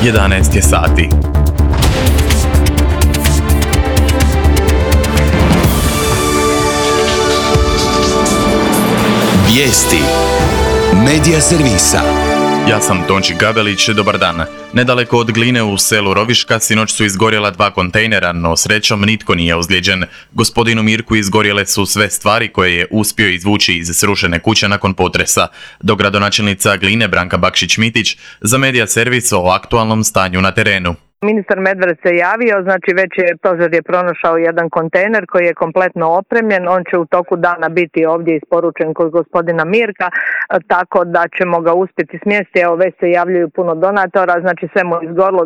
11 je sati. Vijesti Medija servisa. Ja sam Tonči Gabelić, dobar dan. Nedaleko od Gline u selu Roviška sinoć su izgorjela 2 kontejnera, no srećom nitko nije ozlijeđen. Gospodinu Mirku izgorjele su sve stvari koje je uspio izvući iz srušene kuće nakon potresa. Dok gradonačelnica Gline Branka Bakšić-Mitić za Medija servis o aktualnom stanju na terenu. Ministar Medved se javio, znači već je požar je pronašao jedan kontejner koji je kompletno opremljen, on će u toku dana biti ovdje isporučen kod gospodina Mirka, tako da ćemo ga uspjeti smjestiti. Evo već se javljaju puno donatora, znači sve mu izgorlo,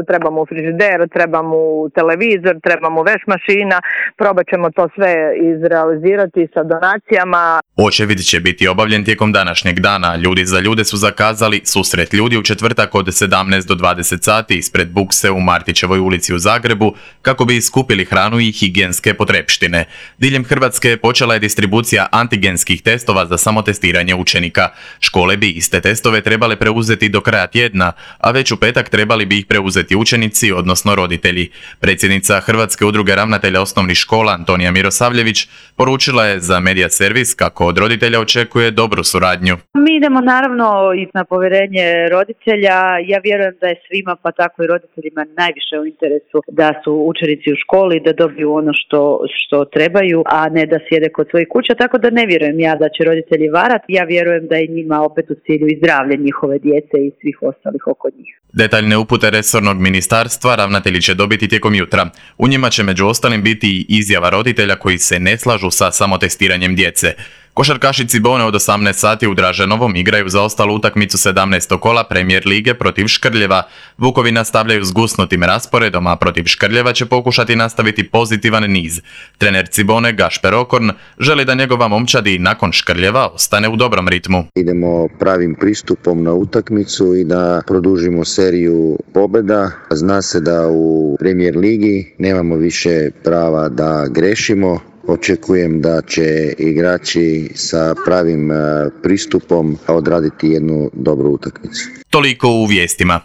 treba mu frižider, treba mu televizor, treba mu veš mašina, probat ćemo to sve izrealizirati sa donacijama. Očevid će biti obavljen tijekom današnjeg dana. Ljudi za ljude su zakazali susret ljudi u četvrtak od 17 do 20 sati ispred Bukse u Martićevoj ulici u Zagrebu kako bi iskupili hranu i higijenske potrepštine. Diljem Hrvatske počela je distribucija antigenskih testova za samotestiranje učenika. Škole bi iste testove trebale preuzeti do kraja tjedna, a već u petak trebali bi ih preuzeti učenici, odnosno roditelji. Predsjednica Hrvatske udruge ravnatelja osnovnih škola Antonija Mirosavljević poručila je za Medija servis kako od roditelja očekuje dobru suradnju. Mi idemo naravno i na povjerenje roditelja. Ja vjerujem da je svima, pa tako i roditeljima, najviše u interesu da su učenici u školi, da dobiju ono što trebaju, a ne da sjede kod svojih kuća, tako da ne vjerujem ja da će roditelji varati. Ja vjerujem da je njima opet u cilju i zdravlje njihove djece i svih ostalih oko njih. Detaljne upute resornog ministarstva ravnatelji će dobiti tijekom jutra. U njima će među ostalim biti i izjava roditelja koji se ne slažu sa samotestiranjem djece. Košarkaši Cibone od 18 sati u Draženovom igraju za ostalu utakmicu 17. kola Premijer lige protiv Škrljeva. Vukovi nastavljaju s gusnutim rasporedom, a protiv Škrljeva će pokušati nastaviti pozitivan niz. Trener Cibone Gašper Okorn želi da njegova momčadi nakon Škrljeva ostane u dobrom ritmu. Idemo pravim pristupom na utakmicu i da produžimo seriju pobjeda. Zna se da u Premijer ligi nemamo više prava da grešimo. Očekujem da će igrači sa pravim pristupom odraditi jednu dobru utakmicu. Toliko u vijestima.